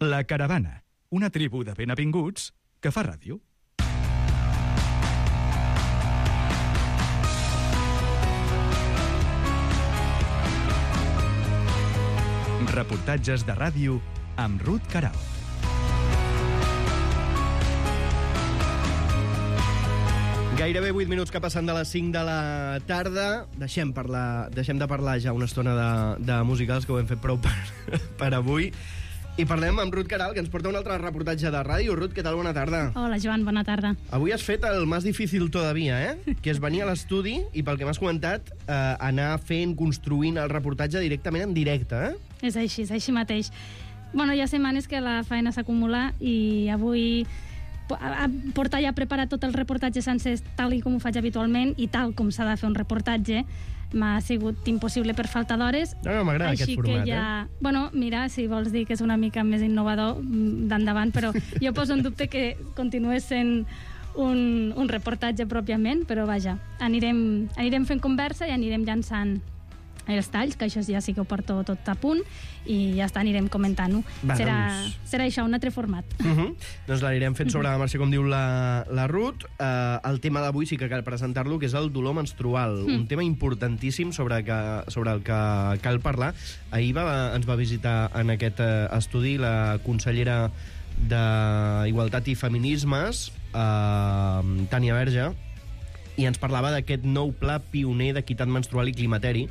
La Caravana, una tribu de benvinguts que fa ràdio. Reportatges de ràdio amb Ruth Queralt. Gairebé 8 minuts que passen de les 5 de la tarda. Deixem de parlar ja una estona de musicals, que ho hem fet prou per avui. I parlem amb Ruth Queralt, que ens porta un altre reportatge de ràdio. Ruth, què tal? Bona tarda. Hola, Joan, bona tarda. Avui has fet el més difícil todavía, que és venir a l'estudi i, pel que m'has comentat, anar construint el reportatge directament en directe, És així mateix. Bueno, hi ha setmanes que la feina s'acumula i avui portar ja preparat tot el reportatge sencer tal com ho faig habitualment i tal com s'ha de fer un reportatge m'ha sigut impossible per falta d'hores. No, m'agrada aquest format, ja... Bueno, mira, si vols dir que és una mica més innovador, d'endavant, però jo poso en dubte que continués sent un reportatge pròpiament, però vaja, anirem fent conversa i anirem llançant els talls, que això ja sí que ho porto tot a punt, i ja està, anirem comentant-ho. Serà això, un altre format. Doncs l'anirem fent sobre la marxa, com diu la Ruth. El tema d'avui sí que cal presentar-lo, que és el dolor menstrual, un tema importantíssim sobre el que cal parlar. Ahir ens va visitar en aquest estudi la consellera d'Igualtat i Feminismes, Tània Verge, i ens parlava d'aquest nou pla pioner d'equitat menstrual i climateri.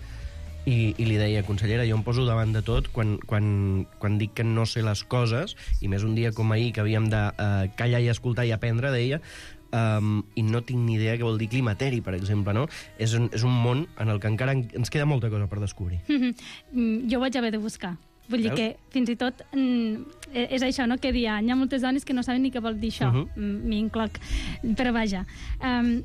I li deia, consellera, jo em poso davant de tot quan dic que no sé les coses, i més un dia com ahir, que havíem de callar i escoltar i aprendre, deia, i no tinc ni idea què vol dir climateri, per exemple, no? És un món en el que encara ens queda molta cosa per descobrir. Jo vaig haver de buscar. Vull dir que fins i tot és això, no? Que hi ha moltes dones que no saben ni què vol dir això, m'hi incloc, però vaja.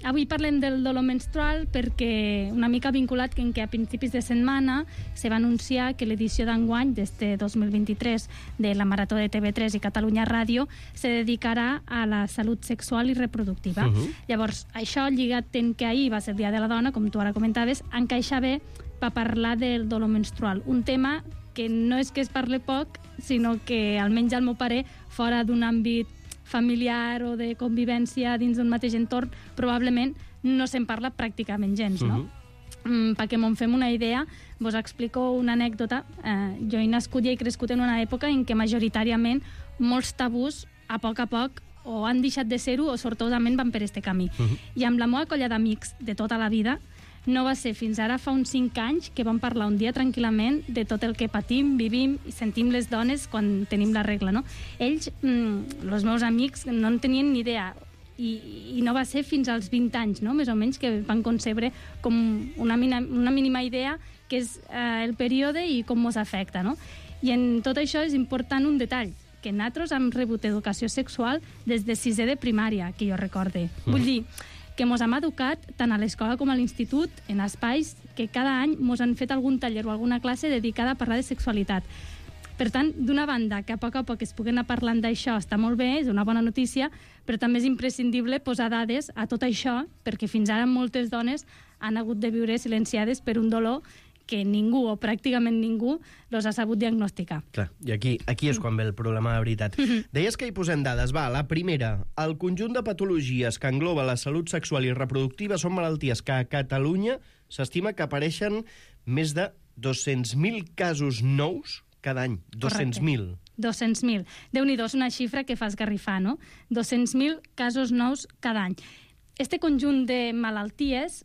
Avui parlem del dolor menstrual perquè una mica vinculat que a principis de setmana se va anunciar que l'edició d'enguany d'este 2023 de la Marató de TV3 i Catalunya Ràdio se dedicarà a la salut sexual i reproductiva. Llavors, això lligat en que ahir va ser el Dia de la Dona, com tu ara comentaves, encaixa bé per parlar del dolor menstrual, un tema que no és que es parle poc, sinó que, almenys al meu parer, fora d'un àmbit familiar o de convivència dins d'un mateix entorn, probablement no se'n parla pràcticament gens, no? Perquè me'n fem una idea, vos explico una anècdota. Jo he nascut i he crescut en una època en què majoritàriament molts tabús, a poc o han deixat de ser-ho o sortosament van per este camí. I amb la meva colla d'amics de tota la vida no va ser fins ara fa uns 5 anys que vam parlar un dia tranquil·lament de tot el que patim, vivim i sentim les dones quan tenim la regla, no? Ells, els meus amics, no en tenien ni idea i no va ser fins als 20 anys, no? Més o menys, que van concebre com una mínima idea que és el període i com ens afecta, no? I en tot això és important un detall, que nosaltres hem rebut educació sexual des de 6è de primària, que jo recorde. Vull dir que mos hem educat tant a l'escola com a l'institut en espais que cada any mos han fet algun taller o alguna classe dedicada a parlar de sexualitat. Per tant, d'una banda, que a poc es puguen anar parlant d'això està molt bé, és una bona notícia, però també és imprescindible posar dades a tot això, perquè fins ara moltes dones han hagut de viure silenciades per un dolor que ningú, o pràcticament ningú, los ha sabut diagnosticar. Clar, i aquí és quan ve el problema de veritat. Deies que hi posem dades. Va, la primera. El conjunt de patologies que engloba la salut sexual i reproductiva són malalties que a Catalunya s'estima que apareixen més de 200.000 casos nous cada any. 200.000. 200.000. Déu-n'hi-do, és una xifra que fa esgarrifar, no? 200.000 casos nous cada any. Este conjunt de malalties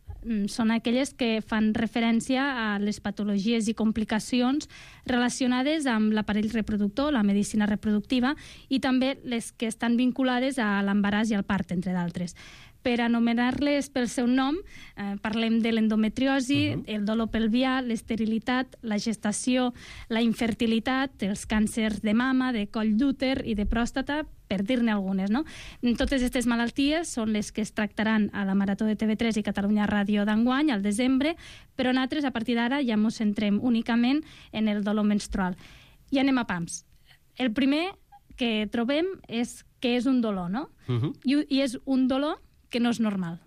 són aquelles que fan referència a les patologies i complicacions relacionades amb l'aparell reproductor, la medicina reproductiva, i també les que estan vinculades a l'embaràs i al part, entre d'altres. Per anomenar-les pel seu nom, parlem de l'endometriosi, el dolor pelvià, l'esterilitat, la gestació, la infertilitat, els càncers de mama, de coll d'úter i de pròstata, per dir-ne algunes, no? Totes aquestes malalties són les que es tractaran a la Marató de TV3 i Catalunya Ràdio d'enguany, al desembre, però nosaltres, a partir d'ara, ja ens centrem únicament en el dolor menstrual. I anem a pams. El primer que trobem és que és un dolor, no? I és un dolor que no és normal.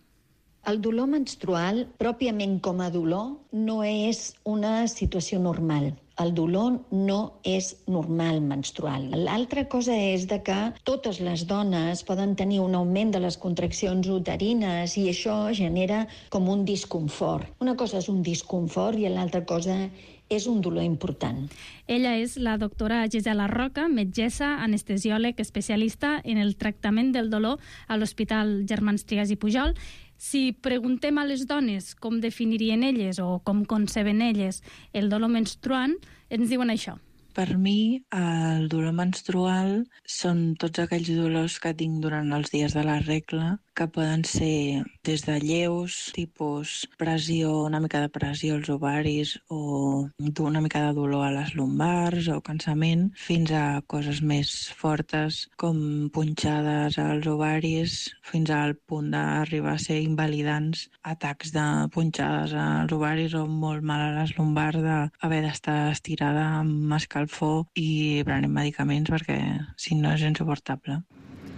El dolor menstrual, pròpiament com a dolor, no és una situació normal. el dolor no és normal menstrual. L'altra cosa és de que totes les dones poden tenir un augment de les contraccions uterines i això genera com un disconfort. Una cosa és un disconfort i l'altra cosa és un dolor important. Ella és la doctora Gisela Roca, metgessa, anestesiòleg, especialista en el tractament del dolor a l'Hospital Germans Trias i Pujol. Si preguntem a les dones com definirien elles o com conceben elles el dolor menstruant, ens diuen això. Per mi, el dolor menstrual són tots aquells dolors que tinc durant els dies de la regla, que poden ser des de lleus, tipus pressió, una mica de pressió als ovaris o una mica de dolor a les lumbars o cansament, fins a coses més fortes com punxades als ovaris, fins al punt d'arribar a ser invalidants, atacs de punxades als ovaris o molt mal a les lumbars d'haver d'estar estirada amb escalfor i prenent medicaments perquè si no és insuportable.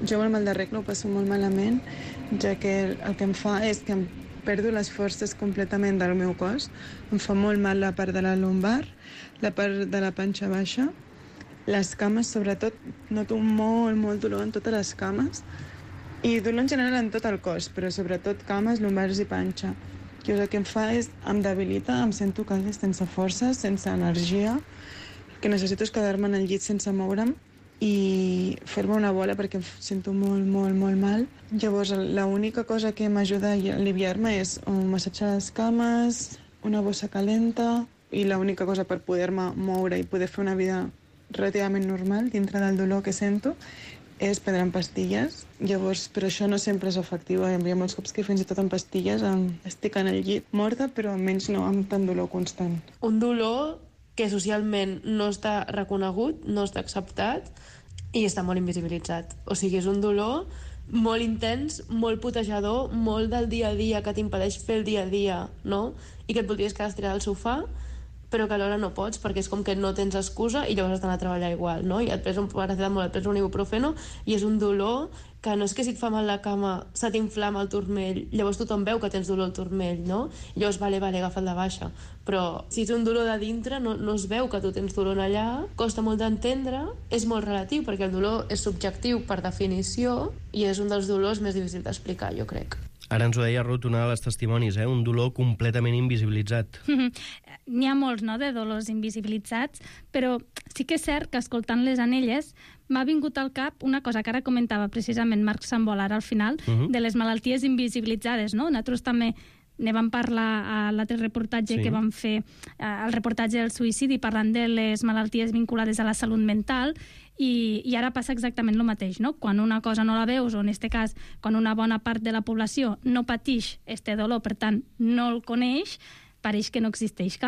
Jo amb el mal de regla ho passo molt malament, ja que el que em fa és que em perdo les forces completament del meu cos. Em fa molt mal la part de la lumbar, la part de la panxa baixa, les cames, sobretot, noto molt dolor en totes les cames i dolor en general en tot el cos, però sobretot cames, lumbars i panxa. I el que em fa és, em debilita, em sento quasi sense forces, sense energia, el que necessito és quedar-me en el llit sense moure'm i fer-me una bola perquè em sento molt mal. Llavors, l'única cosa que m'ajuda a aliviar-me és un massatge a les cames, una bossa calenta i l'única cosa per poder-me moure i poder fer una vida relativament normal dintre del dolor que sento és prendre pastilles. Llavors, però això no sempre és efectiu. Hi ha molts cops que fins i tot amb pastilles estic en el llit morta, però almenys no amb tant dolor constant. Un dolor que socialment no està reconegut, no està acceptat i està molt invisibilitzat. O sigui, és un dolor molt intens, molt putejador, molt del dia a dia, que t'impedeix fer el dia a dia, no? I que et voldries quedar estirada al sofà, però que alhora no pots, perquè és com que no tens excusa i llavors has d'anar a treballar igual, no? I et pres un paracetamol, et pres un ibuprofeno i és un dolor que no és que si et fa mal la cama se t'inflama el turmell, llavors tothom veu que tens dolor al turmell, no? I llavors, vale, agafa't de baixa. Però si és un dolor de dintre, no es veu que tu tens dolor allà, costa molt d'entendre, és molt relatiu, perquè el dolor és subjectiu per definició i és un dels dolors més difícils d'explicar, jo crec. Ara ens ho deia Ruth, una de les testimonis, un dolor completament invisibilitzat. N'hi ha molts, no?, de dolors invisibilitzats, però sí que és cert que escoltant les anelles m'ha vingut al cap una cosa que ara comentava precisament Marc Sambol ara al final, de les malalties invisibilitzades, no? Nosaltres també ne vam parlar a l'altre reportatge que vam fer, el reportatge del suïcidi, parlant de les malalties vinculades a la salut mental, i ara passa exactament el mateix, no? Quan una cosa no la veus, o en aquest cas, quan una bona part de la població no pateix este dolor, per tant, no el coneix, pareix que no existeix.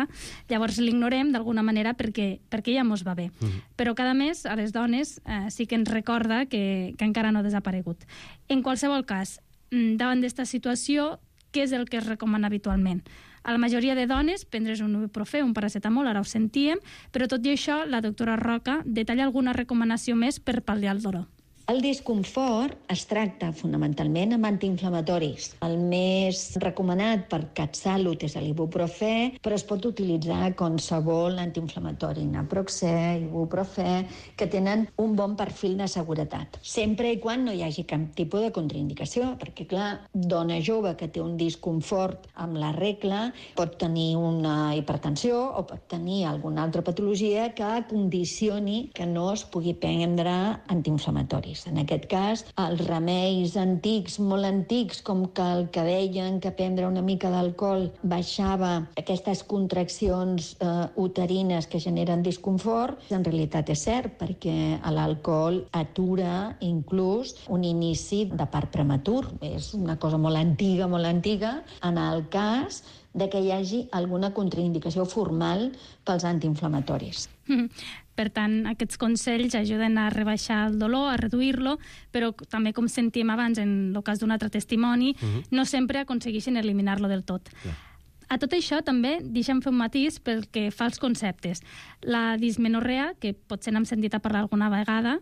Llavors l'ignorem d'alguna manera perquè ja mos va bé. Però cada mes a les dones sí que ens recorda que encara no ha desaparegut. En qualsevol cas, davant d'esta situació, què és el que es recomana habitualment? A la majoria de dones, prendre's un ibuprofè, un paracetamol, ara ho sentíem, però tot i això, la doctora Roca detalla alguna recomanació més per pal·liar el dolor. El disconfort es tracta fonamentalment amb antiinflamatoris. El més recomanat per CatSalut és l'ibuprofè, però es pot utilitzar qualsevol antiinflamatori, naproxè, ibuprofè, que tenen un bon perfil de seguretat. Sempre i quan no hi hagi cap tipus de contraindicació, perquè, clar, dona jove que té un disconfort amb la regla pot tenir una hipertensió o pot tenir alguna altra patologia que condicioni que no es pugui prendre antiinflamatoris. En aquest cas, els remeis antics, molt antics, com que el que deien que prendre una mica d'alcohol baixava aquestes contraccions uterines que generen disconfort, en realitat és cert, perquè l'alcohol atura inclús un inici de part prematur. És una cosa molt antiga, en el cas de que hi hagi alguna contraindicació formal pels antiinflamatoris. Per tant, aquests consells ajuden a rebaixar el dolor, a reduir-lo, però també, com sentíem abans en el cas d'un altre testimoni, no sempre aconsegueixen eliminar-lo del tot. A tot això també deixem fer un matís pel que fa als conceptes. La dismenorrea, que potser n'hem sentit a parlar alguna vegada,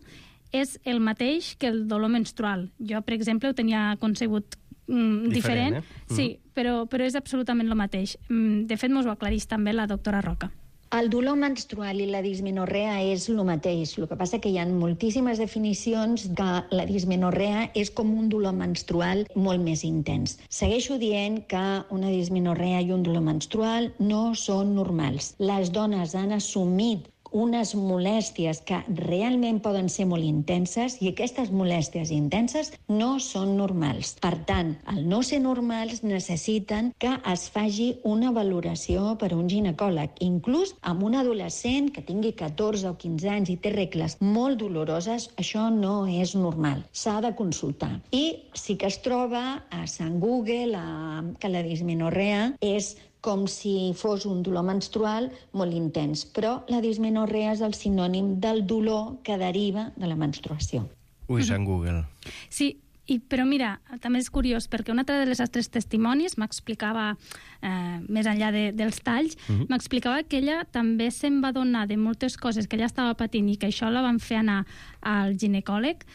és el mateix que el dolor menstrual. Jo, per exemple, ho tenia concebut diferent. Sí, però és absolutament el mateix. De fet, mos ho aclareix també la doctora Roca. El dolor menstrual i la dismenorrea és el mateix. El que passa que hi ha moltíssimes definicions que la dismenorrea és com un dolor menstrual molt més intens. Segueixo dient que una dismenorrea i un dolor menstrual no són normals. Les dones han assumit unes molèsties que realment poden ser molt intenses i aquestes molèsties intenses no són normals. Per tant, al no ser normals necessiten que es faci una valoració per un ginecòleg. Inclús amb un adolescent que tingui 14 o 15 anys i té regles molt doloroses, això no és normal. S'ha de consultar. I sí que es troba a Sant Google que la dismenorrea és com si fos un dolor menstrual molt intens. Però la dismenorrea és el sinònim del dolor que deriva de la menstruació. Ui, Sant Google. Sí, però mira, també és curiós, perquè un altre dels altres testimonis m'explicava, més enllà dels talls, m'explicava que ella també se'n va donar de moltes coses que ella estava patint i que això la van fer anar al ginecòleg,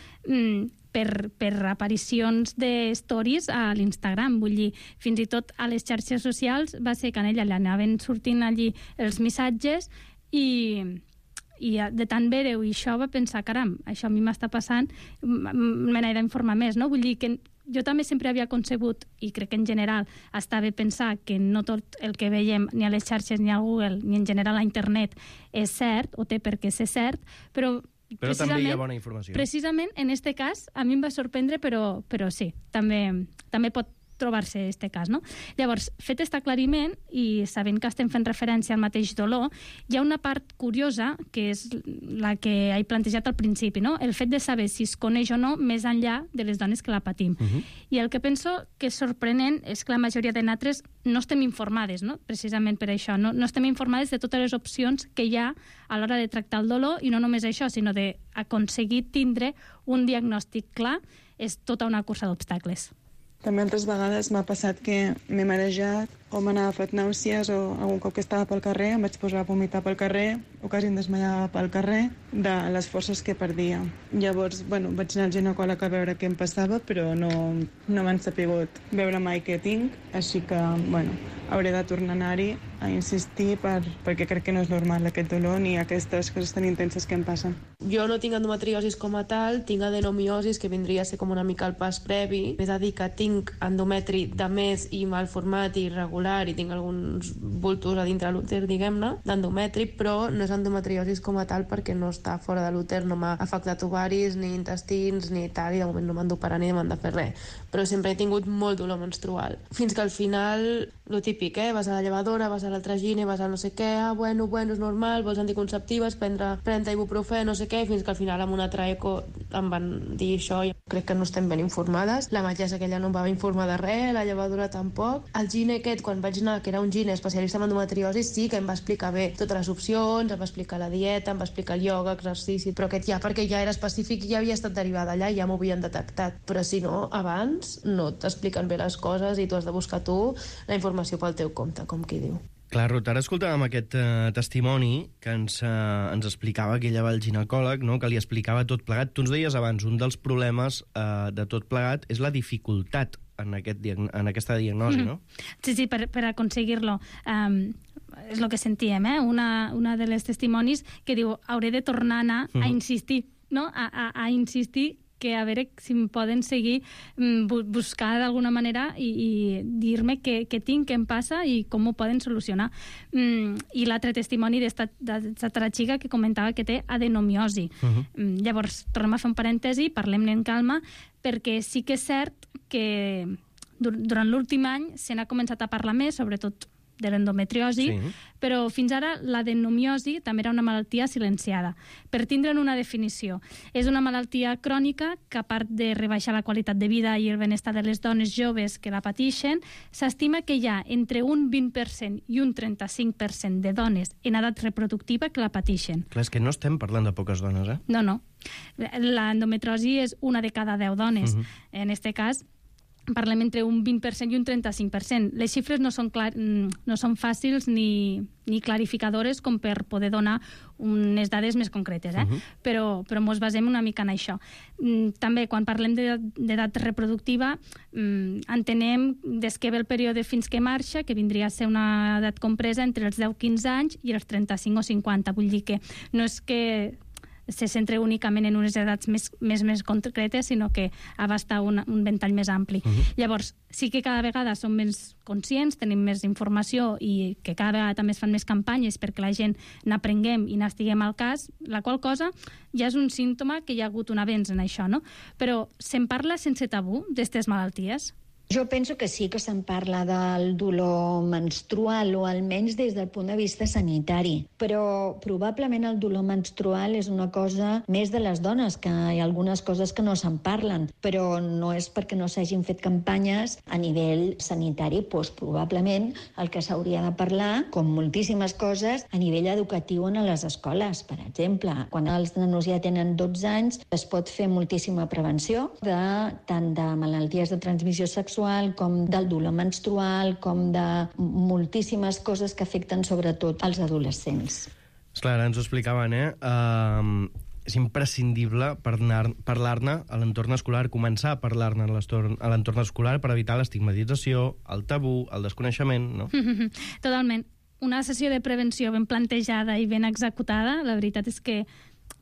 per aparicions de stories a l'Instagram. Vull dir, fins i tot a les xarxes socials va ser que a ella li anaven sortint allí els missatges i de tant veure-ho i això va pensar, caram, això a mi m'està passant, me n'he d'informar més, no? Vull dir que jo també sempre havia concebut, i crec que en general està bé pensar que no tot el que veiem ni a les xarxes ni a Google ni en general a internet és cert o té per què ser cert, però també hi ha bona informació. Precisament, en aquest cas, a mi em va sorprendre, però sí, també pot trobar-se aquest cas, no? Llavors, fet aquest aclariment, i sabent que estem fent referència al mateix dolor, hi ha una part curiosa, que és la que he plantejat al principi, no? El fet de saber si es coneix o no més enllà de les dones que la patim. I el que penso que és sorprenent és que la majoria de nosaltres no estem informades, no? Precisament per això. No estem informades de totes les opcions que hi ha a l'hora de tractar el dolor, i no només això, sinó d'aconseguir tindre un diagnòstic clar és tota una cursa d'obstacles. També altres vegades m'ha passat que m'he marejat o m'han agafat nàusees o algun cop que estava pel carrer em vaig posar a vomitar pel carrer o quasi em desmaiava pel carrer de les forces que perdia. Llavors, vaig anar al ginecòleg a veure què em passava, però no m'han sapigut veure mai què tinc, així que, hauré de tornar a anar-hi a insistir perquè crec que no és normal aquest dolor ni aquestes coses tan intenses que em passen. Jo no tinc endometriosis com a tal, tinc adenomiosis, que vindria a ser com una mica el pas previ. És a dir, que tinc endometri de més i mal format i irregular i tinc alguns bultos a dintre l'úter, diguem-ne, d'endometri, però no és endometriosis com a tal perquè no està fora de l'úter, no m'ha afectat ovaris, ni intestins, ni tal, i de moment no m'han d'operar ni m'han de fer res. Però sempre he tingut molt dolor menstrual. Fins que al final, lo típic, vas a la llevadora, vas a l'altre gine, vas a no sé què, bueno, és normal, vols anticonceptives, prendre ibuprofè, no sé què, fins que al final amb una altra eco em van dir això. Jo crec que no estem ben informades. La metgessa aquella no em va informar de res, la llevadora tampoc. El gine aquest, quan vaig anar, que era un gine especialista en endometriosi, sí que em va explicar bé totes les opcions, em va explicar la dieta, em va explicar el ioga, exercici, però aquest perquè ja era específic i ja havia estat derivada allà i ja m'ho havien detectat. Però si no, abans no t'expliquen bé les coses i tu has de buscar tu la informació pel teu compte, com qui diu. Clar, Ruth, ara escoltàvem aquest testimoni que ens explicava que ella va al ginecòleg, no? Que li explicava tot plegat. Tu ens deies abans, un dels problemes de tot plegat és la dificultat en aquesta diagnosi, no? Sí, per aconseguir-lo. És el que sentíem, una de les testimonis que diu hauré de tornar a anar a insistir, no? A insistir que a veure si em poden seguir, buscar d'alguna manera i dir-me què tinc, què em passa i com ho poden solucionar. I l'altre testimoni d'esta xica que comentava que té adenomiosi. Llavors, tornem a fer un parèntesi, parlem-ne en calma, perquè sí que és cert que durant l'últim any se n'ha començat a parlar més, sobretot de l'endometriosi, però fins ara l'adenomiosi també era una malaltia silenciada. Per tindre'n una definició, és una malaltia crònica que, a part de rebaixar la qualitat de vida i el benestar de les dones joves que la pateixen, s'estima que hi ha entre un 20% i un 35% de dones en edat reproductiva que la pateixen. Clar, és que no estem parlant de poques dones, No. L'endometriosi és una de cada 10 dones. En aquest cas, parlem entre un 20% i un 35%. Les xifres no són fàcils ni clarificadores com per poder donar unes dades més concretes, però ens basem una mica en això. També, quan parlem d'edat reproductiva, entenem des que ve el període fins que marxa, que vindria a ser una edat compresa entre els 10-15 anys i els 35 o 50. Vull dir que no és que se centra únicament en unes edats més concretes, sinó que abasta un ventall més ampli. Llavors, sí que cada vegada som més conscients, tenim més informació i que cada vegada també es fan més campanyes perquè la gent n'aprenguem i n'estiguem al cas, la qual cosa ja és un símptoma que hi ha hagut un avenç en això, no? Però se'n parla sense tabú d'estes malalties? Jo penso que sí que se'n parla del dolor menstrual, o almenys des del punt de vista sanitari. Però probablement el dolor menstrual és una cosa més de les dones, que hi ha algunes coses que no se'n parlen, però no és perquè no s'hagin fet campanyes a nivell sanitari. Doncs probablement el que s'hauria de parlar, com moltíssimes coses, a nivell educatiu en les escoles. Per exemple, quan els nanos ja tenen 12 anys, es pot fer moltíssima prevenció tant de malalties de transmissió sexual com del dolor menstrual, com de moltíssimes coses que afecten sobretot els adolescents. Esclar, ara ens ho explicaven, és imprescindible parlar-ne a l'entorn escolar, començar a parlar-ne a l'entorn escolar per evitar l'estigmatització, el tabú, el desconeixement, no? Totalment. Una sessió de prevenció ben plantejada i ben executada, la veritat és que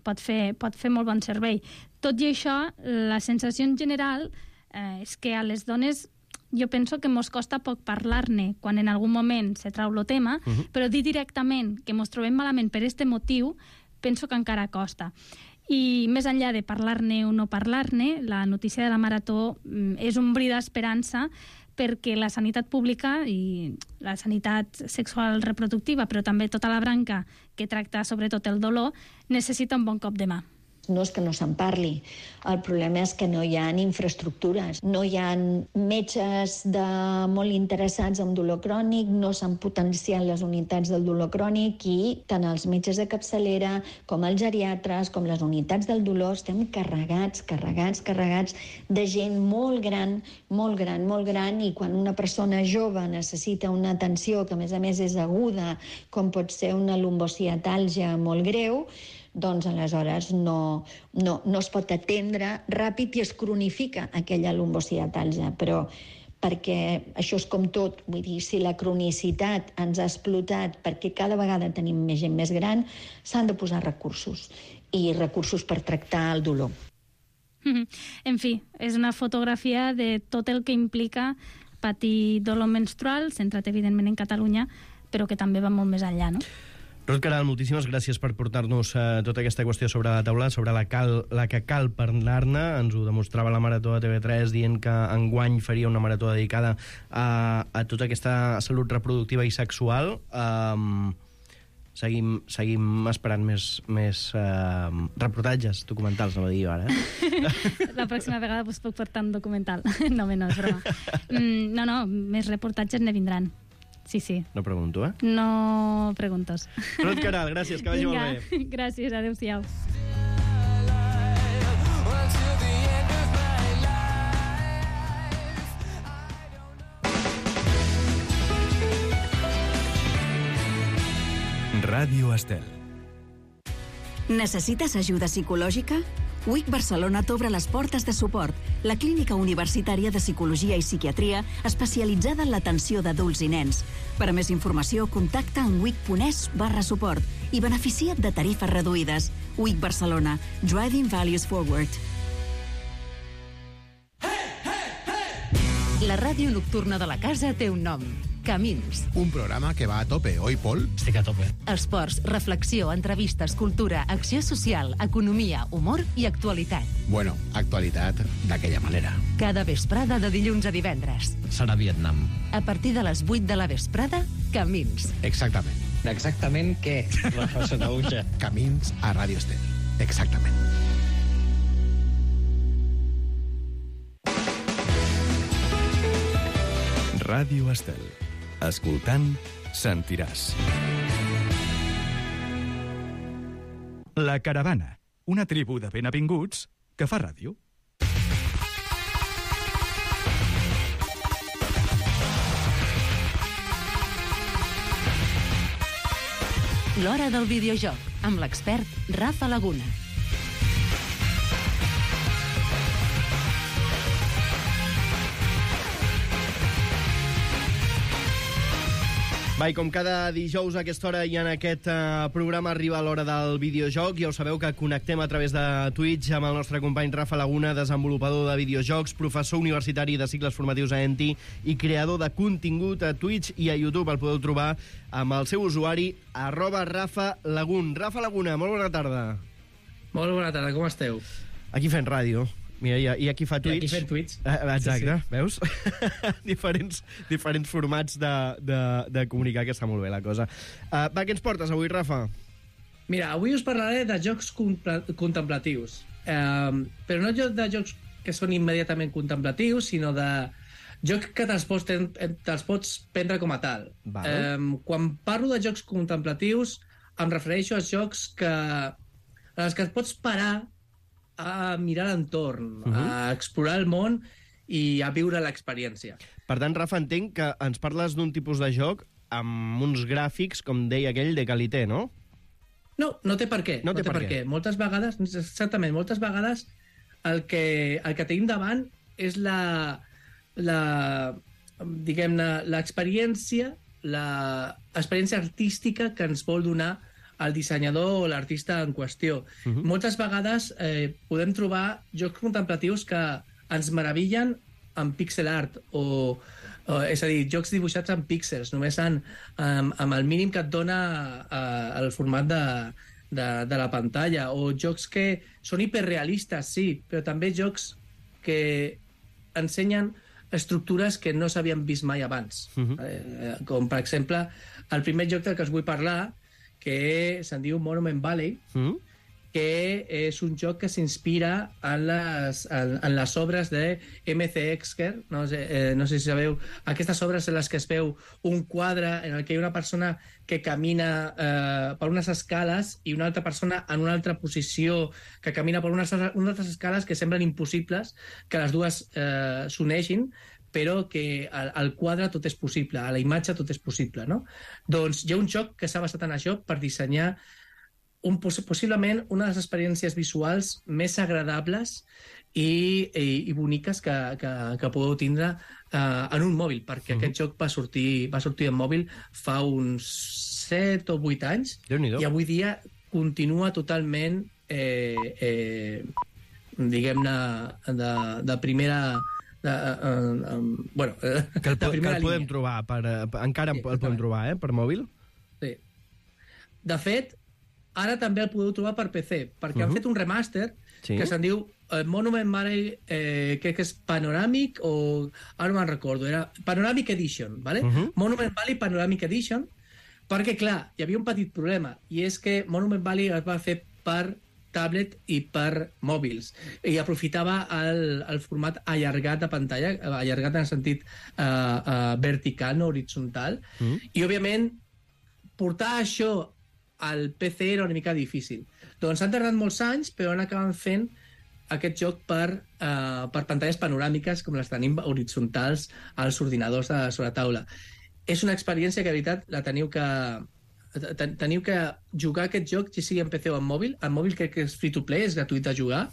pot fer molt bon servei. Tot i això, la sensació en general és que a les dones jo penso que mos costa poc parlar-ne quan en algun moment se trau el tema, però dir directament que mos trobem malament per este motiu penso que encara costa. I més enllà de parlar-ne o no parlar-ne, la notícia de la Marató és un bri d'esperança perquè la sanitat pública i la sanitat sexual reproductiva, però també tota la branca que tracta sobretot el dolor, necessita un bon cop de mà. No és que no se'n parli, el problema és que no hi ha infraestructures, no hi ha metges molt interessats en dolor crònic, no s'han potenciat les unitats del dolor crònic i tant els metges de capçalera com els geriatres, com les unitats del dolor, estem carregats de gent molt gran, i quan una persona jove necessita una atenció que a més és aguda, com pot ser una lumbociatàlgia molt greu, doncs aleshores no es pot atendre ràpid i es cronifica aquella lumbociatàlgia. Però perquè això és com tot, vull dir, si la cronicitat ens ha explotat perquè cada vegada tenim més gent més gran, s'han de posar recursos, i recursos per tractar el dolor. En fi, és una fotografia de tot el que implica patir dolor menstrual, centrat evidentment en Catalunya, però que també va molt més enllà, no? Ruth Queralt, moltíssimes gràcies per portar-nos tota aquesta qüestió sobre la taula, sobre la que cal parlar-ne. Ens ho demostrava la Marató de TV3 dient que enguany faria una marató dedicada a tota aquesta salut reproductiva i sexual. Seguim esperant més reportatges documentals, no ho dic ara. La pròxima vegada us puc portar un documental. No, és broma. No, més reportatges ne vindran. Sí. No pregunto, eh? No preguntes. Ruth Queralt, gràcies, que vagi molt bé. Gràcies, adéu-siau. Ràdio Estel. Necessites ajuda psicològica? WIC Barcelona t'obre les portes de Suport, la clínica universitària de psicologia i psiquiatria especialitzada en l'atenció d'adults i nens. Per a més informació, contacta en wic.es/suport i beneficia't de tarifes reduïdes. WIC Barcelona, Driving Values Forward. La ràdio nocturna de la casa té un nom. Camins. Un programa que va a tope, oi, Pol? Estic a tope. Esports, reflexió, entrevistes, cultura, acció social, economia, humor i actualitat. Bueno, actualitat d'aquella manera. Cada vesprada de dilluns a divendres. Serà Vietnam. A partir de les 8 de la vesprada, Camins. Exactament. Exactament què, Rafa Sanauja? Camins a Ràdio Estel. Exactament. Ràdio Estel. Escoltant, sentiràs. La Caravana, una tribu de ben avinguts que fa ràdio. L'Hora del Videojoc, amb l'expert Rafa Laguna. Va, i com cada dijous a aquesta hora i en aquest programa arriba l'hora del videojoc, ja ho sabeu que connectem a través de Twitch amb el nostre company Rafa Laguna, desenvolupador de videojocs, professor universitari de cicles formatius a ENTI i creador de contingut a Twitch i a YouTube. El podeu trobar amb el seu usuari @RafaLagun. Rafa Laguna, molt bona tarda. Molt bona tarda, com esteu? Aquí fent ràdio. Mira, i aquí fa Twitch. I aquí fent Twitch. Exacte, sí. Veus? diferents formats de comunicar, que està molt bé la cosa. Va, què ens portes avui, Rafa? Mira, avui us parlaré de jocs contemplatius. Però no de jocs que són immediatament contemplatius, sinó de jocs que te'ls pots prendre com a tal. Quan parlo de jocs contemplatius, em refereixo a jocs en els que et pots parar a mirar l'entorn, a explorar el món i a viure l'experiència. Per tant, Rafa, entenc que ens parles d'un tipus de joc amb uns gràfics, com deia aquell, de qualité, no? No, no té per què. No té per què. Moltes vegades, exactament, moltes vegades el que tenim davant és diguem-ne, l'experiència artística que ens vol donar el dissenyador o l'artista en qüestió. Moltes vegades podem trobar jocs contemplatius que ens meravillen en pixel art, és a dir, jocs dibuixats en píxels, només amb el mínim que et dona el format de la pantalla, o jocs que són hiperrealistes, sí, però també jocs que ensenyen estructures que no s'havien vist mai abans. Com, per exemple, el primer joc del que us vull parlar, que se'n diu Monument Valley, que és un joc que s'inspira en les obres de M.C. Exker. No sé si sabeu, aquestes obres en les que es veu un quadre en el que hi ha una persona que camina per unes escales i una altra persona en una altra posició que camina per unes altres escales que semblen impossibles que les dues s'uneixin, però que al quadre tot és possible, a la imatge tot és possible, no? Doncs hi ha un joc que s'ha basat en això per dissenyar possiblement una de les experiències visuals més agradables i boniques que podeu tindre en un mòbil, perquè aquest joc va sortir en mòbil fa uns 7 o 8 anys i avui dia continua totalment diguem-ne de primera... bueno, que el podem trobar encara el podem trobar per mòbil. Sí. De fet, ara també el podeu trobar per PC, perquè han fet un remaster que se'n diu Monument Valley, crec que és Panoramic o... ara no me'n recordo, era Panoramic Edition, ¿vale? Monument Valley Panoramic Edition, perquè, clar, hi havia un petit problema, i és que Monument Valley es va fer per tablet i per mòbils, i aprofitava el format allargat de pantalla, allargat en el sentit vertical, no horitzontal, i òbviament portar això al PC era una mica difícil. Doncs han tardat molts anys, però han acabat fent aquest joc per pantalles panoràmiques com les tenim horitzontals als ordinadors sobre taula. És una experiència que, de veritat, la teniu que jugar aquest joc, ja sigui en PC o en mòbil. En mòbil crec que és free-to-play, és gratuït de jugar.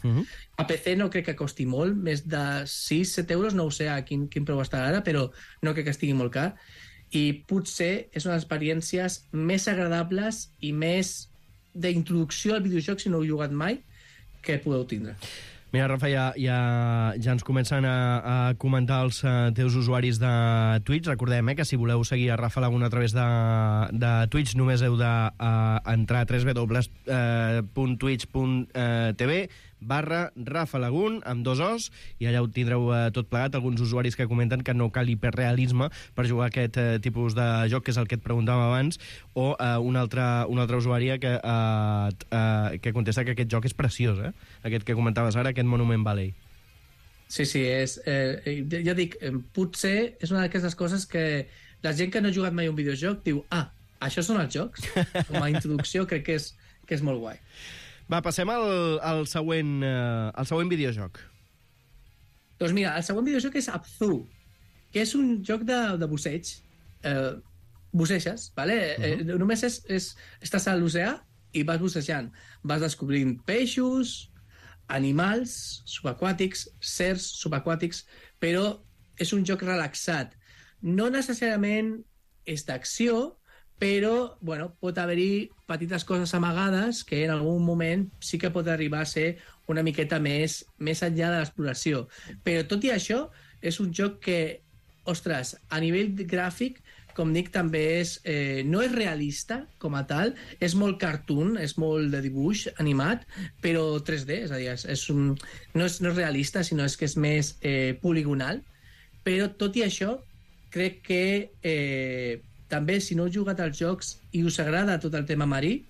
A PC no crec que costi molt, més de 6-7 euros, no ho sé a quin preu està ara, però no crec que estigui molt car. I potser és una de les experiències més agradables i més d'introducció al videojoc, si no heu jugat mai, que podeu tindre. Mira, Rafa, ja ens comencen a comentar els teus usuaris de Twitch. Recordem que si voleu seguir a Rafa Laguna a través de Twitch només heu d'entrar a www.twitch.tv/Rafa Lagun, amb 2 Os, i allà ho tindreu tot plegat. Alguns usuaris que comenten que no cal hiperrealisme per jugar aquest tipus de joc, que és el que et preguntàvem abans, o una altra usuària que contesta que aquest joc és preciós, aquest que comentaves ara, aquest Monument Valley. Sí, ja dic, potser és una d'aquestes coses que la gent que no ha jugat mai un videojoc diu, això són els jocs? Com a introducció crec que és molt guai. Va, passem al següent videojoc. Doncs mira, el següent videojoc és Abzu, que és un joc de busseig. buceges, ¿vale? Només estàs a l'oceà i vas bucejant. Vas descobrint peixos, animals subaquàtics, certs subaquàtics, però és un joc relaxat. No necessàriament és d'acció, però pot haver-hi petites coses amagades que en algun moment sí que pot arribar a ser una miqueta més enllà de l'exploració. Però tot i això, és un joc que, ostres, a nivell gràfic, com dic, també no és realista com a tal, és molt cartoon, és molt de dibuix animat, però 3D, és a dir, no és realista, sinó que és més poligonal. Però tot i això, crec que també, si no heu jugat als jocs i us agrada tot el tema marí,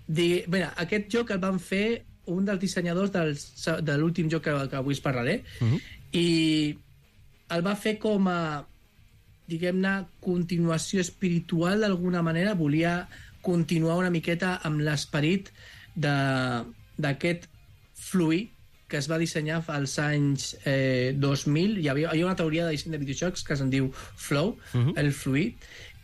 aquest joc el van fer un dels dissenyadors de l'últim joc que avui us parlaré, i el va fer com a, diguem-ne, continuació espiritual d'alguna manera. Volia continuar una miqueta amb l'esperit d'aquest fluid que es va dissenyar als anys 2000. Hi havia una teoria de disseny de videojocs que se'n diu Flow, el fluid,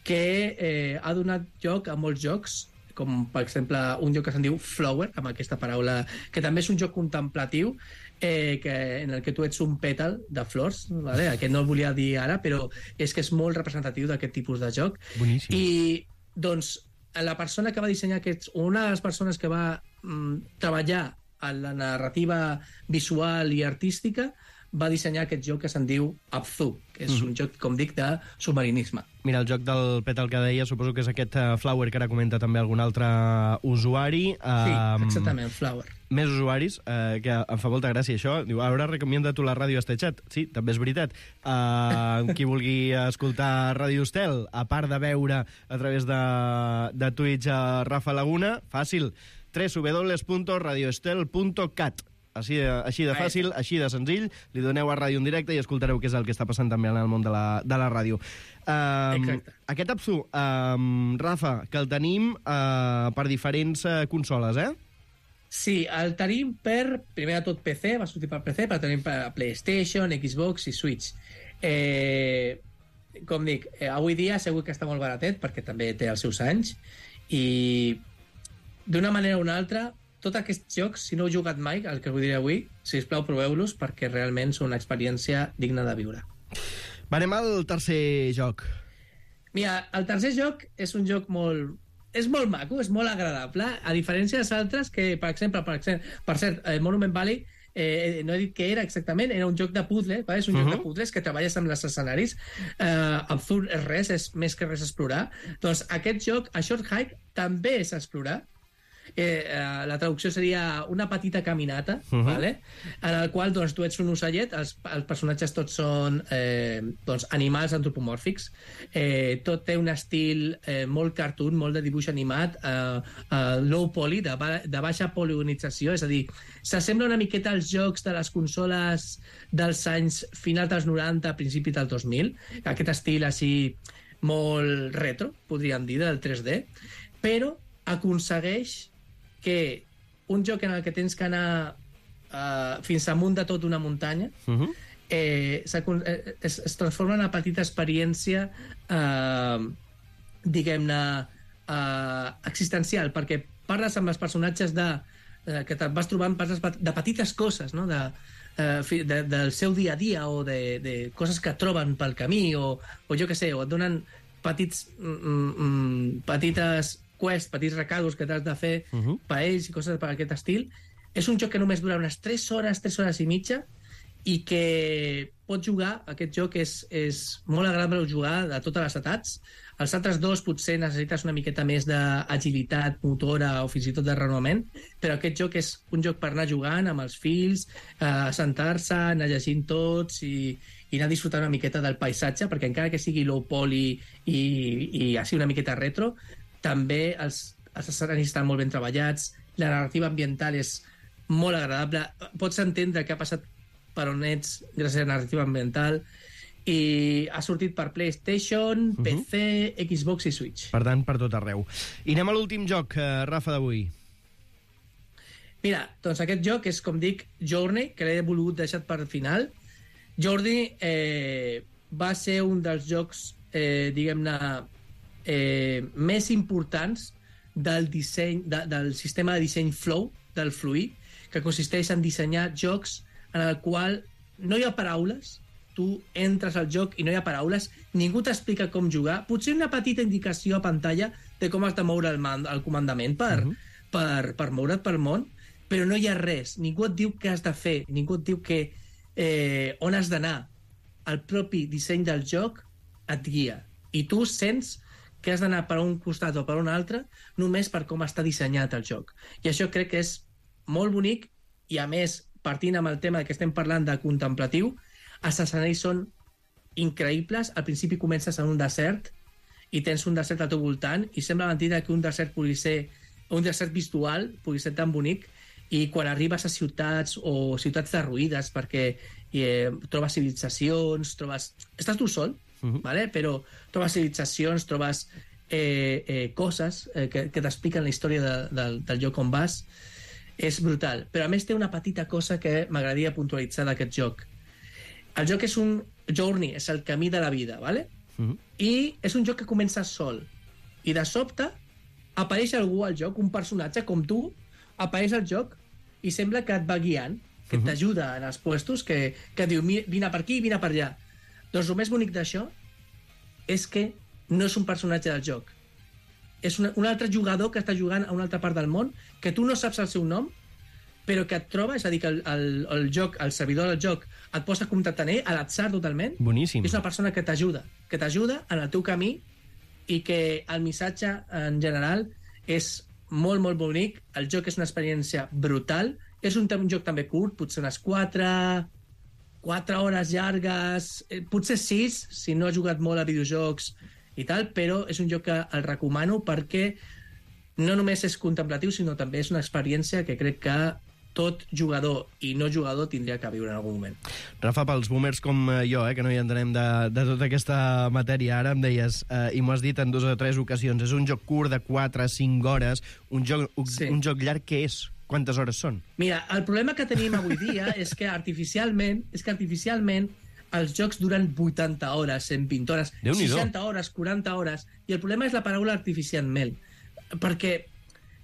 que ha donat lloc a molts jocs, com per exemple un joc que se'n diu Flower, amb aquesta paraula, que també és un joc contemplatiu, en el que tu ets un pètal de flors, ¿vale? Que no el volia dir ara, però és que és molt representatiu d'aquest tipus de joc. Boníssim. I doncs la persona que va dissenyar una de les persones que va treballar en la narrativa visual i artística, va dissenyar aquest joc que se'n diu Abzu, que és un joc, com dic, de submarinisme. Mira, el joc del pètal que deia, suposo que és aquest Flower que ara comenta també algun altre usuari. Sí, exactament, Flower. Més usuaris, que em fa molta gràcia això. Diu, ara recomienda tu la ràdio este xat. Sí, també és veritat. Qui vulgui escoltar Ràdio Estel, a part de veure a través de Twitch a Rafa Laguna, fàcil, www.radioestel.cat. Així de fàcil, així de senzill, li doneu a ràdio en directe i escoltareu què és el que està passant també en el món de la ràdio. Aquest Abzu, Rafa, que el tenim per diferents consoles, eh? Sí, el tenim primer de tot PC, va sortir per PC, però tenim per PlayStation, Xbox i Switch. Com dic, avui dia segur que està molt baratet, perquè també té els seus anys, i d'una manera o una altra, tots aquests jocs, si no heu jugat mai, el que us diré avui, sisplau, proveu-los, perquè realment són una experiència digna de viure. Va, anem al tercer joc. Mira, el tercer joc és un joc molt... És molt maco, és molt agradable, a diferència dels altres que, per exemple, per cert, Monument Valley, no he dit què era exactament, era un joc de puzzle, és un joc de puzzles que treballes amb els escenaris. Absurd és res, és més que res explorar. Doncs aquest joc, A Short Hike, també és explorar. La traducció seria una petita caminata, vale? En el qual doncs, tu ets un ocellet, els personatges tots són animals antropomòrfics, tot té un estil molt cartoon, molt de dibuix animat, low poly, de baixa poligonització, és a dir, s'assembla una miqueta als jocs de les consoles dels anys final dels 90, principi del 2000, aquest estil així molt retro, podríem dir, del 3D, però aconsegueix que un joc en el que tens que anar fins amunt de tot una muntanya es transforma en una petita experiència diguem-ne existencial, perquè parles amb els personatges que te'n vas trobant, parles de petites coses, no? Del seu dia a dia o de coses que troben pel camí o jo què sé, o et donen petites quests, petits recados que t'has de fer per ells i coses per aquest estil. És un joc que només dura unes 3 hores i mitja, i que pots jugar, aquest joc és molt agradable jugar de totes les edats. Els altres dos potser necessites una miqueta més d'agilitat motora o fins i tot de renovament, però aquest joc és un joc per anar jugant amb els fills, sentar-se, anar llegint tots i anar disfrutant una miqueta del paisatge, perquè encara que sigui low poly i així una miqueta retro, també els escenaris estan molt ben treballats, la narrativa ambiental és molt agradable, pots entendre què ha passat per on ets gràcies a la narrativa ambiental, i ha sortit per PlayStation, PC, Xbox i Switch. Per tant, per tot arreu. I anem a l'últim joc, Rafa, d'avui. Mira, doncs aquest joc és, com dic, Journey, que l'he volgut deixar per final. Journey va ser un dels jocs, diguem-ne, més importants del sistema de disseny Flow, del Fluid, que consisteix en dissenyar jocs en el qual no hi ha paraules, tu entres al joc i no hi ha paraules, ningú t'explica com jugar, potser una petita indicació a pantalla de com has de moure el comandament per moure't pel món, però no hi ha res, ningú et diu què has de fer, ningú et diu on has d'anar. El propi disseny del joc et guia, i tu sents que has d'anar per un costat o per un altre només per com està dissenyat el joc. I això crec que és molt bonic, i a més, partint amb el tema que estem parlant de contemplatiu, els escenaris són increïbles. Al principi comences en un desert i tens un desert al teu voltant i sembla mentida que un desert pugui ser un desert visual, pugui ser tan bonic, i quan arribes a ciutats o ciutats derruïdes perquè trobes civilitzacions, estàs tu sol, vale? Però trobes civilitzacions, trobes coses que t'expliquen la història del lloc on vas. És brutal, però a més té una petita cosa que m'agradaria puntualitzar d'aquest joc. El joc és un journey, és el camí de la vida, ¿vale? I és un joc que comença sol, i de sobte apareix algú al joc, un personatge com tu, apareix al joc i sembla que et va guiant, que t'ajuda en els puestos, que diu, vine per aquí, vine per allà. Doncs el més bonic d'això és que no és un personatge del joc. És un altre jugador que està jugant a una altra part del món, que tu no saps el seu nom, però que et troba, és a dir, que el joc, el servidor del joc, et posa a contactar amb ell, a l'atzar totalment. Boníssim. És una persona que t'ajuda en el teu camí, i que el missatge, en general, és molt, molt bonic. El joc és una experiència brutal. És un joc també curt, potser unes 4 hores llargues, potser 6, si no has jugat molt a videojocs i tal, però és un joc que el recomano perquè no només és contemplatiu, sinó també és una experiència que crec que tot jugador i no jugador tindria que viure en algun moment. Rafa, pels boomers com jo, que no hi entenem de tota aquesta matèria, ara em deies, i m'ho has dit en 2 o 3 ocasions, és un joc curt de 4 a 5 hores, un joc llarg, què és? Quantes hores són? Mira, el problema que tenim avui dia és que artificialment els jocs duren 80 hores, 120 hores, 60 hores, 40 hores, i el problema és la paraula artificialment, perquè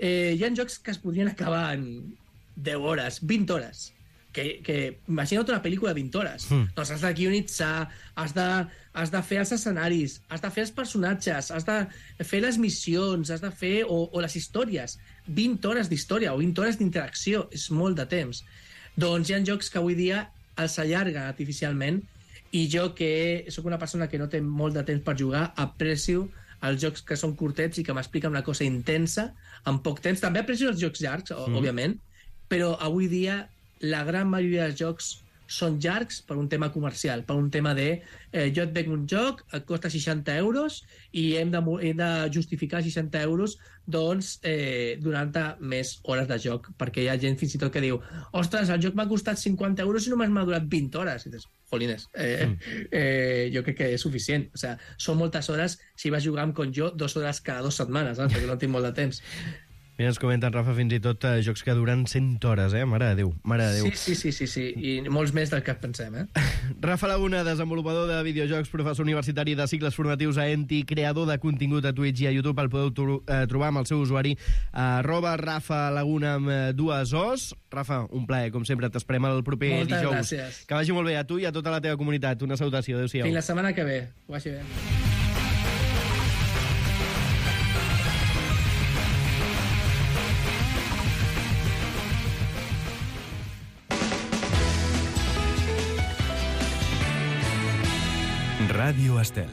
hi ha jocs que es podrien acabar en 10 hores, 20 hores, que imagina't una pel·lícula de 20 hores. Doncs has de guionitzar, has de fer els escenaris, has de fer els personatges, has de fer les missions, has de fer o les històries. 20 hores d'història o 20 hores d'interacció, és molt de temps. Doncs hi ha jocs que avui dia els allarguen artificialment, i jo, que sóc una persona que no té molt de temps per jugar, aprecio els jocs que són curtets i que m'expliquen una cosa intensa en poc temps. També aprecio els jocs llargs, òbviament, però avui dia la gran majoria dels jocs són llargs per un tema comercial, per un tema de jo et venc un joc, et costa 60 euros i hem de justificar 60 euros doncs donant-te més hores de joc, perquè hi ha gent fins i tot que diu, ostres, el joc m'ha costat 50 euros i només m'ha durat 20 hores. I dius, jolines, jo crec que és suficient. O sigui, són moltes hores si vas jugar com jo 2 hores cada 2 setmanes, perquè no tinc molt de temps. Mira, ens comenten, Rafa, fins i tot jocs que duren 100 hores, Mare de Déu, mare de Déu. Sí, i molts més del que pensem, Rafa Laguna, desenvolupador de videojocs, professor universitari de cicles formatius a ENTI, creador de contingut a Twitch i a YouTube. El podeu trobar amb el seu usuari @Rafa Laguna amb 2 Os. Rafa, un plaer, com sempre, t'esperem el proper dijous. Moltes gràcies. Que vagi molt bé a tu i a tota la teva comunitat. Una salutació, adéu-siau. Fins la setmana que ve, que vagi bé. Ràdio Estel.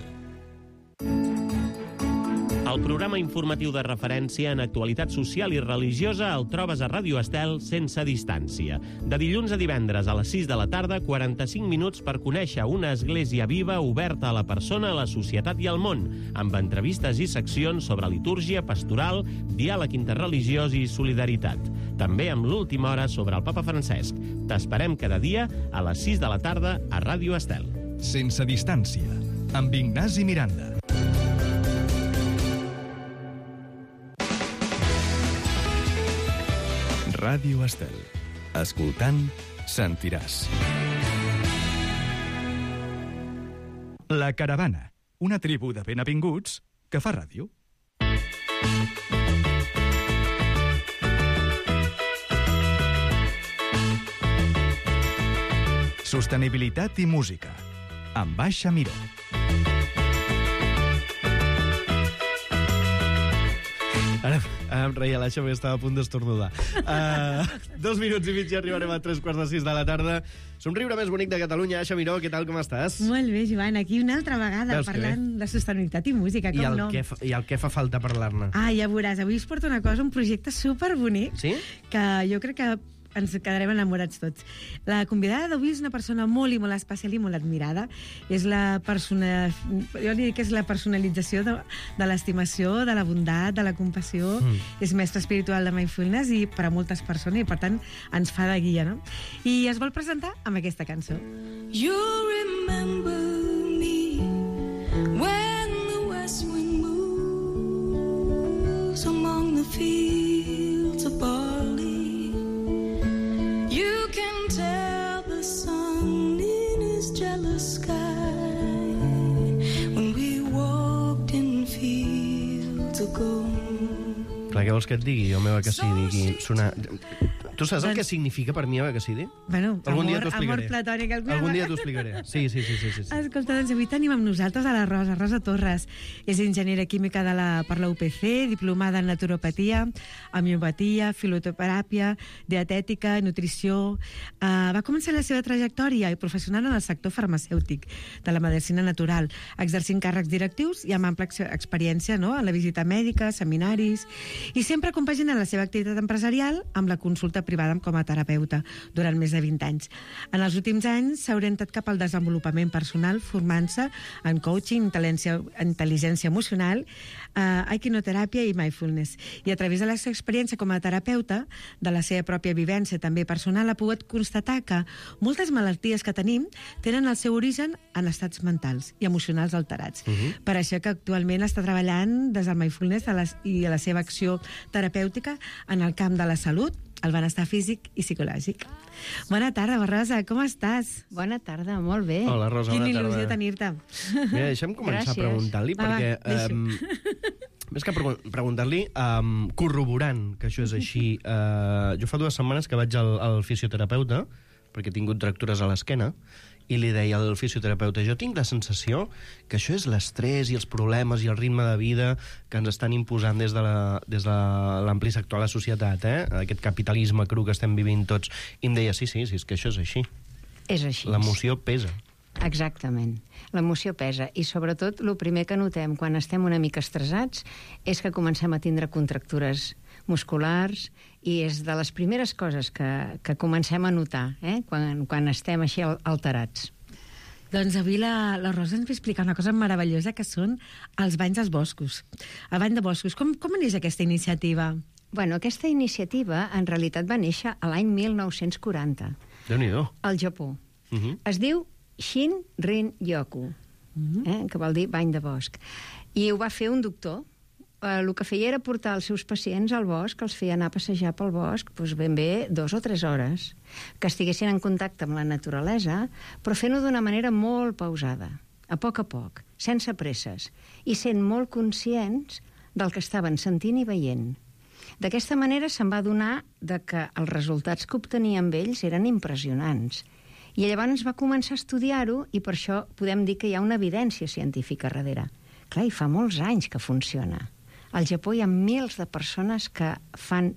El programa informatiu de referència en actualitat social i religiosa el trobes a Ràdio Estel sense distància. De dilluns a divendres a les 6 de la tarda, 45 minuts per conèixer una església viva oberta a la persona, a la societat i al món, amb entrevistes i seccions sobre litúrgia, pastoral, diàleg interreligiós i solidaritat. També amb l'última hora sobre el Papa Francesc. T'esperem cada dia a les 6 de la tarda a Ràdio Estel. Sense distància, amb Ignasi Miranda. Ràdio Estel. Escoltant, sentiràs. La Caravana, una tribu de benavinguts que fa ràdio. Sostenibilitat i música, amb Baixa Miró. Ara em reia l'Aixa perquè estava a punt d'estornudar. 2 minuts i mig i arribarem a 3:45 de la tarda. Somriure més bonic de Catalunya. Aixa Miró, què tal, com estàs? Molt bé, Joan, aquí una altra vegada parlant de sostenibilitat i música, com no? I el què fa falta parlar-ne? Ja veuràs, avui us porto una cosa, un projecte superbonic, que jo crec que ens quedarem enamorats tots. La convidada d'avui és una persona molt i molt especial i molt admirada. És jo li dic que és la personalització de l'estimació, de la bondat, de la compassió. És mestre espiritual de mindfulness i per a moltes persones, i per tant ens fa de guia, no? I es vol presentar amb aquesta cançó. You remember me when the west wind moves among the fields of barley. You can tell the sun in his jealous sky when we walked in fields of gold. Clar, què vols que et digui, jo meva que sí, digui sonar... Tu saps el que significa per mi que sí? Bueno, amor platònic. Algun dia t'ho explicaré. Sí. Escolta, doncs avui tenim amb nosaltres a la Rosa Torres. És enginyera química per la UPC, diplomada en naturopatia, homeopatia, filoteràpia, dietètica, nutrició. Va començar la seva trajectòria professional en el sector farmacèutic de la medicina natural, exercint càrrecs directius i amb ampla experiència en la visita mèdica, seminaris, i sempre compagina la seva activitat empresarial amb la consulta privada com a terapeuta durant més de 20 anys. En els últims anys s'ha orientat cap al desenvolupament personal, formant-se en coaching, intel·ligència emocional, equinoteràpia i mindfulness. I a través de la seva experiència com a terapeuta, de la seva pròpia vivència també personal, ha pogut constatar que moltes malalties que tenim tenen el seu origen en estats mentals i emocionals alterats. Per això que actualment està treballant des del mindfulness i la seva acció terapèutica en el camp de la salut, el benestar físic i psicològic. Bona tarda, Rosa, com estàs? Bona tarda, molt bé. Hola, Rosa, bona tarda. Quina il·lusió tenir-te. Mira, deixa'm començar preguntant-li, perquè... Més que preguntar-li, corroborant que això és així, jo fa 2 setmanes que vaig al fisioterapeuta, perquè he tingut fractures a l'esquena, i li deia al fisioterapeuta, jo tinc la sensació que això és l'estrès i els problemes i el ritme de vida que ens estan imposant des de l'ampli sector de la societat, aquest capitalisme cru que estem vivint tots. I em deia, sí, és que això és així. És així. L'emoció pesa. Exactament. L'emoció pesa. I sobretot, el primer que notem quan estem una mica estressats és que comencem a tindre contractures musculars, i és de les primeres coses que comencem a notar quan estem així alterats. Doncs avui la Rosa ens va explicar una cosa meravellosa, que són els banys als boscos. El bany de boscos. Com neix aquesta iniciativa? Bueno, aquesta iniciativa en realitat va néixer a l'any 1940. Déu-n'hi-do. Al Japó. Es diu Shin-rin-yoku, que vol dir bany de bosc. I ho va fer un doctor. El que feia era portar els seus pacients al bosc, els feia anar a passejar pel bosc ben bé 2 o 3 hores, que estiguessin en contacte amb la naturalesa, però fent-ho d'una manera molt pausada, a poc, sense presses, i sent molt conscients del que estaven sentint i veient. D'aquesta manera se'n va adonar que els resultats que obtenia amb ells eren impressionants. I llavors va començar a estudiar-ho, i per això podem dir que hi ha una evidència científica darrere. Clar, i fa molts anys que funciona. Al Japó hi ha milers de persones que fan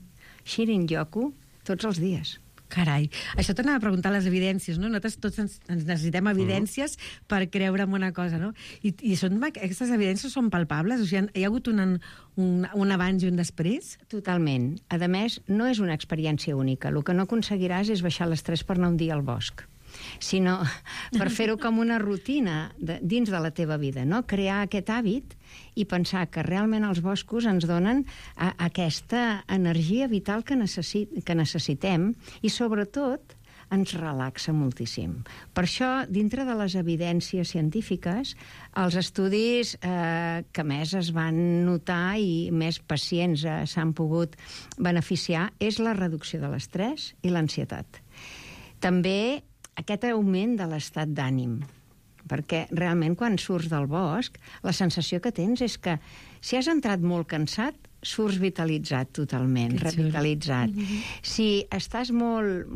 Shin-rin-yoku tots els dies. Carai, això t'anava a preguntar les evidències, no? Nosaltres tots ens necessitem evidències per creure en una cosa, no? I aquestes evidències són palpables? O sigui, hi ha hagut un abans i un després? Totalment. A més, no és una experiència única. El que no aconseguiràs és baixar l'estrès per anar un dia al bosc, sinó per fer-ho com una rutina dins de la teva vida, no? Crear aquest hàbit i pensar que realment els boscos ens donen aquesta energia vital que necessitem, i sobretot ens relaxa moltíssim. Per això, dintre de les evidències científiques, els estudis que més es van notar i més pacients s'han pogut beneficiar és la reducció de l'estrès i l'ansietat. També aquest augment de l'estat d'ànim. perquè realment quan surts del bosc, la sensació que tens és que si has entrat molt cansat, surts vitalitzat totalment, revitalitzat. Si estàs molt,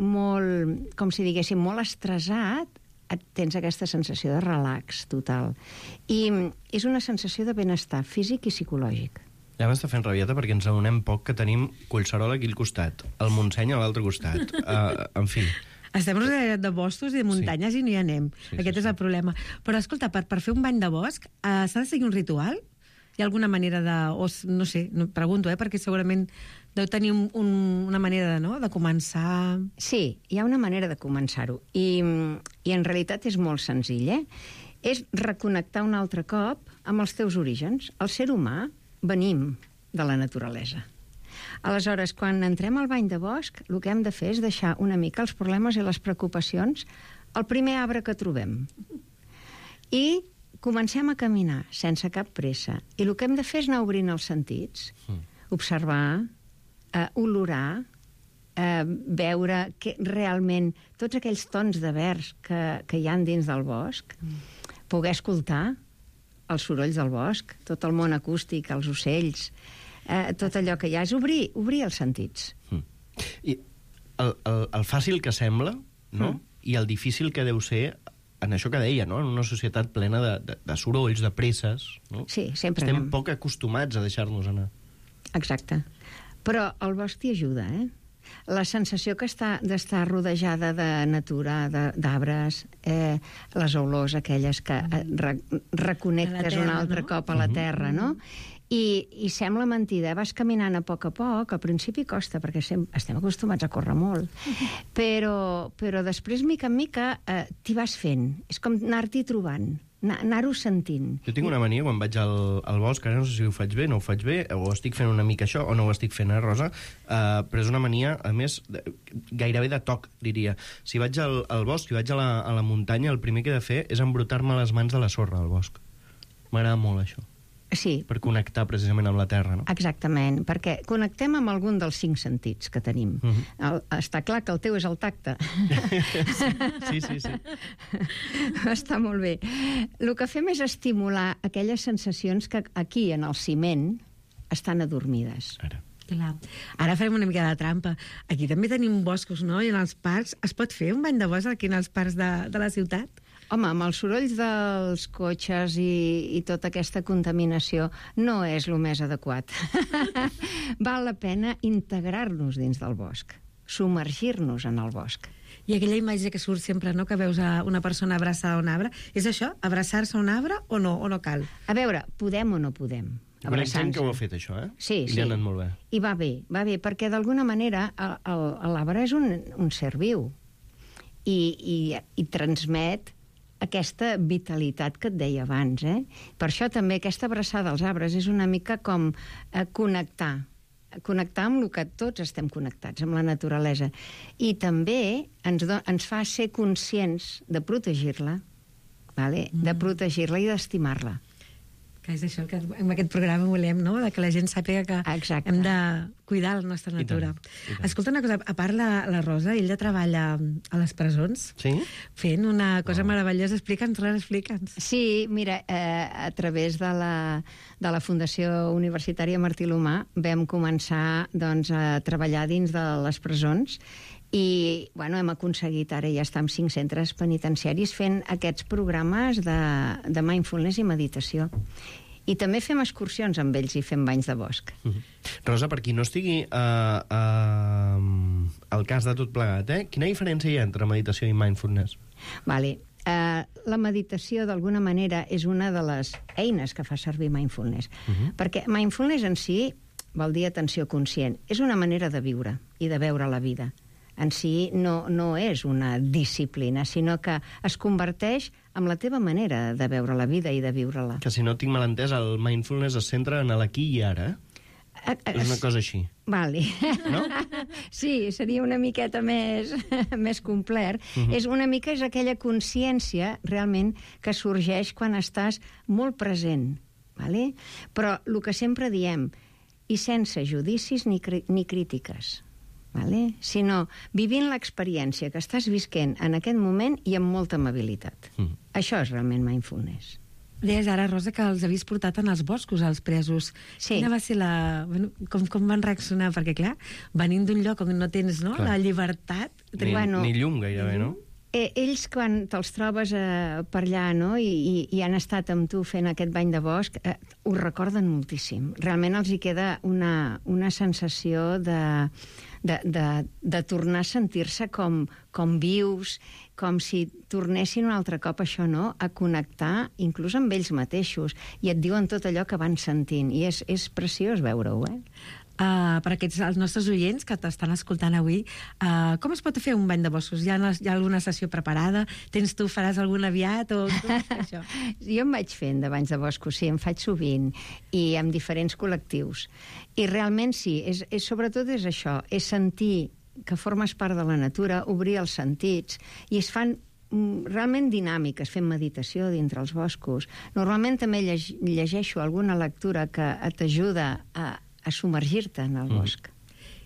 com si diguéssim, molt estressat, tens aquesta sensació de relax total. I és una sensació de benestar físic i psicològic. Ja m'està fent rabieta perquè ens adonem poc que tenim Collserola aquí al costat, el Montseny a l'altre costat. En fi... Estem rodeats de boscos i de muntanyes i no hi anem. Aquest és el problema. Però, escolta, per fer un bany de bosc, s'ha de seguir un ritual? Hi ha alguna manera de... no sé, pregunto, perquè segurament deu tenir una manera de començar... Sí, hi ha una manera de començar-ho. I en realitat és molt senzill, És reconnectar un altre cop amb els teus orígens. El ser humà venim de la naturalesa. Aleshores, quan entrem al bany de bosc, el que hem de fer és deixar una mica els problemes i les preocupacions al primer arbre que trobem. I comencem a caminar sense cap pressa. I el que hem de fer és anar obrint els sentits. Observar, olorar, veure que realment tots aquells tons de verd que hi ha dins del bosc, poder escoltar els sorolls del bosc, tot el món acústic, els ocells, tot allò que hi ha, és obrir els sentits. I el fàcil que sembla, no? I el difícil que deu ser en això que deia, no? En una societat plena de sorolls, de presses, no? Sí, sempre estem poc acostumats a deixar-nos anar. Exacte. Però el bosc t'hi ajuda, La sensació que d'estar rodejada de natura, d'arbres, les olors aquelles que reconnectes un altre cop a la terra, no? I sembla mentida, vas caminant a poc, al principi costa, perquè estem acostumats a córrer molt, però després, mica en mica, t'hi vas fent. És com anar-t'hi trobant, anar-ho sentint. Jo tinc una mania quan vaig al bosc, ara no sé si ho faig bé, no ho faig bé, o estic fent una mica això, o no ho estic fent, Rosa, però és una mania, a més, gairebé de toc, diria. Si vaig al bosc, si vaig a la muntanya, el primer que he de fer és embrutar-me les mans de la sorra al bosc. M'agrada molt, això. Sí. Per connectar precisament amb la terra, no? Exactament, perquè connectem amb algun dels 5 sentits que tenim. Està clar que el teu és el tacte. Sí. Està molt bé. El que fem és estimular aquelles sensacions que aquí, en el ciment, estan adormides. Clar. Ara farem una mica de trampa. Aquí també tenim boscos, no? I en els parcs. Es pot fer un bany de bosc aquí en els parcs de la ciutat? Home, amb els sorolls dels cotxes i tota aquesta contaminació no és el més adequat. Val la pena integrar-nos dins del bosc, submergir-nos en el bosc. I aquella imatge que surt sempre, no?, que veus una persona abraçada a un arbre, és això, abraçar-se a un arbre o no car? A veure, podem o no podem? Hi ha gent que ho ha fet, això, Sí. I li ha anat molt bé. I va bé, perquè d'alguna manera l'arbre és un ser viu i transmet aquesta vitalitat que et deia abans, Per això també aquesta abraçada als arbres és una mica com connectar amb el que tots estem connectats, amb la naturalesa. I també ens fa ser conscients de protegir-la, de protegir-la i d'estimar-la. Que és això que en aquest programa volem, no?, que la gent sàpiga que hem de cuidar la nostra natura. I tant. Escolta una cosa, a part la Rosa, ella treballa a les presons, fent una cosa meravellosa. Explica'ns. Sí, mira, a través de la Fundació Universitària Martí l'Humà vam començar a treballar dins de les presons i hem aconseguit, ara ja estar en 5 centres penitenciaris fent aquests programes de mindfulness i meditació. I també fem excursions amb ells i fem banys de bosc. Rosa, per qui no estigui al cas de tot plegat, quina diferència hi ha entre meditació i mindfulness? La meditació, d'alguna manera, és una de les eines que fa servir mindfulness. Perquè mindfulness en si vol dir atenció conscient. És una manera de viure i de veure la vida. En si no és una disciplina, sinó que es converteix en la teva manera de veure la vida i de viure-la. Que si no tinc mal entès, el mindfulness es centra en l'aquí i ara, És una cosa així. No? Sí, seria una miqueta més complet. És aquella consciència, realment, que sorgeix quan estàs molt present. Però el que sempre diem, i sense judicis ni crítiques, sinó vivint l'experiència que estàs visquent en aquest moment i amb molta amabilitat. Això és realment mindfulness. Deies ara, Rosa, que els havies portat en els boscos, els presos. Sí. Quina va ser Bueno, com van reaccionar? Perquè, clar, venint d'un lloc on no tens la llibertat... Ni llum gairebé, no? Ells, quan te'ls trobes per allà, no?, i han estat amb tu fent aquest bany de bosc, ho recorden moltíssim. Realment els hi queda una sensació de tornar a sentir-se com vius, com si tornessin un altre cop això, no?, a connectar inclús amb ells mateixos, i et diuen tot allò que van sentint, i és preciós veure-ho, Per els nostres oients que t'estan escoltant avui, com es pot fer un bany de boscos? Hi ha alguna sessió preparada? Faràs algun aviat? O com és això? Jo em vaig fent de banys de boscos, sí, em faig sovint, i amb diferents col·lectius. I realment sí, sobretot és això, és sentir que formes part de la natura, obrir els sentits, i es fan realment dinàmiques, fent meditació dintre els boscos. Normalment també llegeixo alguna lectura que t'ajuda a submergir-te en el bosc.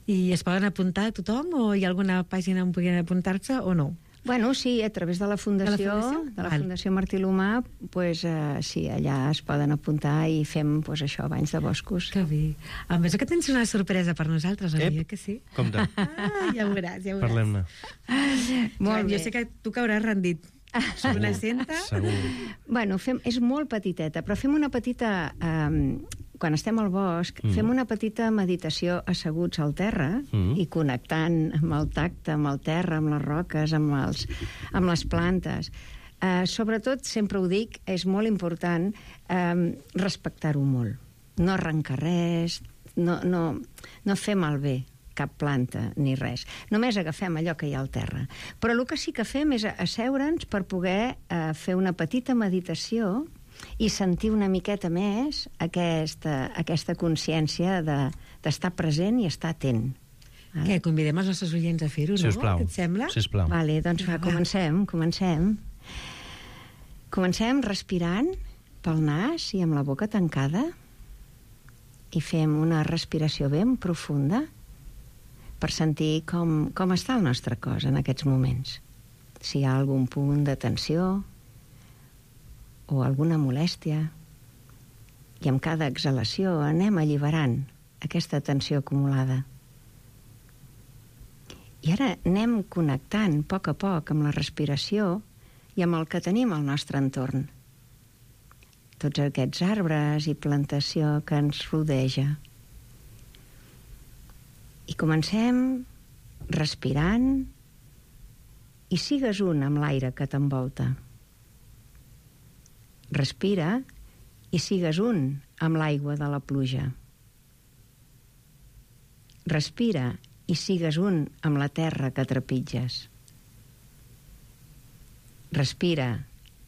I es poden apuntar a tothom o hi ha alguna pàgina on puguin apuntar-se o no? Bueno, sí, a través de la Fundació, Fundació Martí l'Humà, sí, allà es poden apuntar i fem això, banys de boscos. Que bé. A més que tens una sorpresa per nosaltres, amiga, que sí? Compte. Ja ho veuràs, ja ho veuràs. Parlem-ne. Molt bé. Jo sé que tu que hauràs rendit. Una cinta? Segur. Bueno, és molt petiteta, però fem una petita... Quan estem al bosc, fem una petita meditació asseguts al terra i connectant amb el tacte, amb el terra, amb les roques, amb les plantes. Sobretot, sempre ho dic, és molt important respectar-ho molt. No arrencar res, no fer malbé cap planta ni res. Només agafem allò que hi ha al terra. Però el que sí que fem és asseure'ns per poder fer una petita meditació i sentir una miqueta més aquesta consciència d'estar present i estar atent. Què, convidem els nostres oients a fer-ho, no? Sisplau. Què et sembla? Sisplau. Vale, doncs comencem. Comencem respirant pel nas i amb la boca tancada i fem una respiració ben profunda per sentir com està el nostre cos en aquests moments. Si hi ha algun punt de tensió o alguna molèstia. I amb cada exhalació anem alliberant aquesta tensió acumulada. I ara anem connectant a poc amb la respiració i amb el que tenim al nostre entorn. Tots aquests arbres i plantació que ens rodeja. I comencem respirant i sigues un amb l'aire que t'envolta. Respira i sigues un amb l'aigua de la pluja. Respira i sigues un amb la terra que trepitges. Respira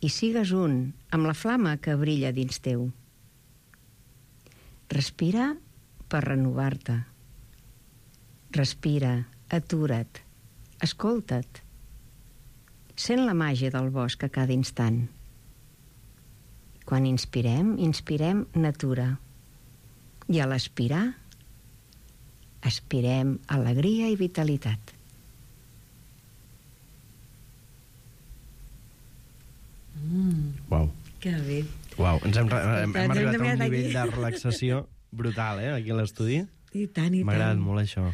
i sigues un amb la flama que brilla dins teu. Respira per renovar-te. Respira, atura't, escolta't. Sent la màgia del bosc a cada instant. Quan inspirem natura. I a l'expirar, aspirem alegria i vitalitat. Uau. Que bé. Uau, hem arribat a un nivell de relaxació brutal, aquí a l'estudi. I tant, i tant. M'ha agradat molt això.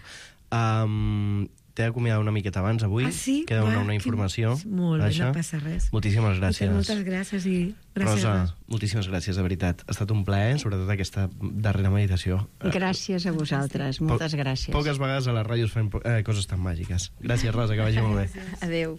T'he d'acomiadar una miqueta abans avui. Ah, sí? Queda una informació. Molt bé, no passa res. Moltíssimes gràcies. Moltes gràcies i gràcies. Rosa, moltíssimes gràcies, de veritat. Ha estat un plaer, sobretot aquesta darrera meditació. Gràcies a vosaltres, moltes gràcies. Poques vegades a la ràdio es fan coses tan màgiques. Gràcies, Rosa, que vagi molt bé. Adéu.